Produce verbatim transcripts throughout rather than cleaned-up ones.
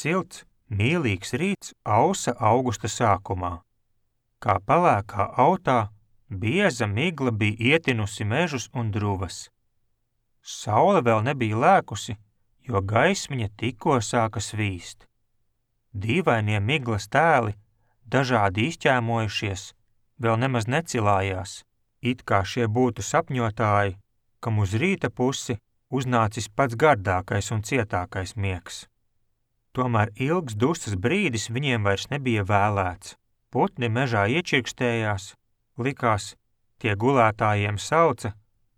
silts, mīlīgs rīts ausa augusta sākumā. Kā pelēkā autā, bieza migla bija ietinusi mežus un druvas. Saule vēl nebija lēkusi, jo gaismiņa tikko sāka svīst. Dīvainie miglas tēli, dažādi izķēmojušies, vēl nemaz necilājās, it kā šie būtu sapņotāji, kam uz rīta pusi uznācis pats gardākais un cietākais miegs. Tomēr ilgs dusas brīdis viņiem vairs nebija vēlēts. Putni mežā iečirkstējās, likās, tie gulētājiem sauca,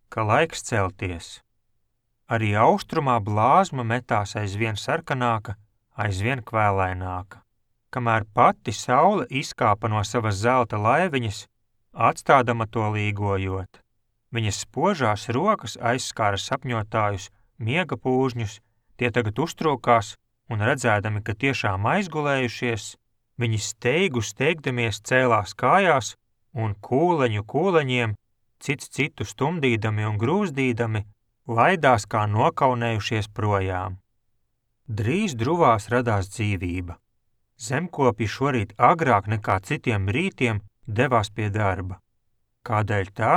ka laiks celties. Arī austrumā blāzma metās aizvien sarkanāka, aizvien kvēlaināka, kamēr pati saule izkāpa no savas zelta laiviņas, atstādama to līgojot. Viņas spožās rokas aizskāra sapņotājus, miega pūžņus, tie tagad uztrūkās un redzēdami, ka tiešām aizgulējušies, viņi steigu steigdamies cēlās kājās un kūleņu kūleņiem, cits citu stumdīdami un grūzdīdami, laidās kā nokaunējušies projām. Drīz druvās radās dzīvība. Zemkopji šorīt agrāk nekā citiem rītiem devās pie darba. Kādēļ tā?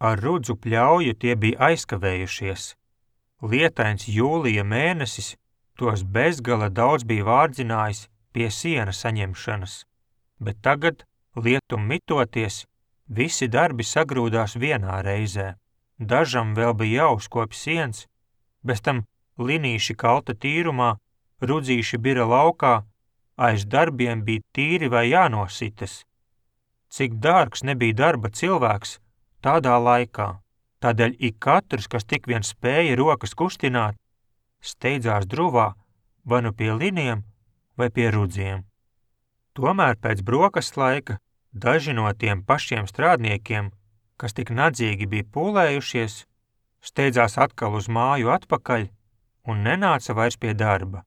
Ar rudzu pļauju tie bija aizkavējušies. Lietains jūlija mēnesis tos bezgala daudz bija vārdzinājis pie siena saņemšanas, bet tagad, lietum mitoties, visi darbi sagrūdās vienā reizē. Dažam vēl bija jāuzkopj siens, bez tam linīši kalta tīrumā, rudzīši bira laukā, aiz darbiem bija tīri vai jānositas. Cik dārgs nebija darba cilvēks tādā laikā, tādēļ ik katrs, kas tik vien spēja rokas kustināt, steidzās druvā vai nu pie liniem vai pie rudziem. Tomēr pēc brokastu laika daži no tiem pašiem strādniekiem, kas tik nadzīgi bija pūlējušies, steidzās atkal uz māju atpakaļ un nenāca vairs pie darba.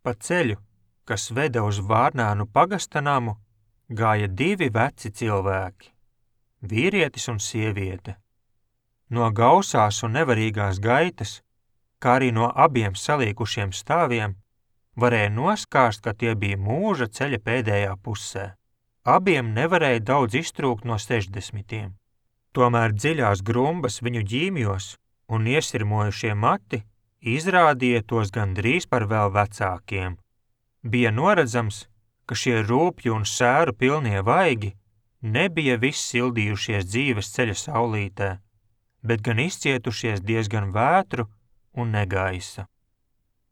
Pa ceļu, kas veda uz Vārnānu pagasta namu, gāja divi veci cilvēki, vīrietis un sieviete. No gausās un nevarīgās gaitas, kā arī no abiem salīkušiem stāviem, varēja noskāst, ka tie bija mūža ceļa pēdējā pusē. Abiem nevarēja daudz iztrūkt no sešdesmitiem. Tomēr dziļās grumbas viņu ģīmjos un iesirmojušie mati izrādīja tos gandrīz par vēl vecākiem. Bija noredzams, ka šie rūpju un sēru pilnie vaigi nebija viss sildījušies dzīves ceļa saulītē, bet gan izcietušies diezgan vētru un negaisa.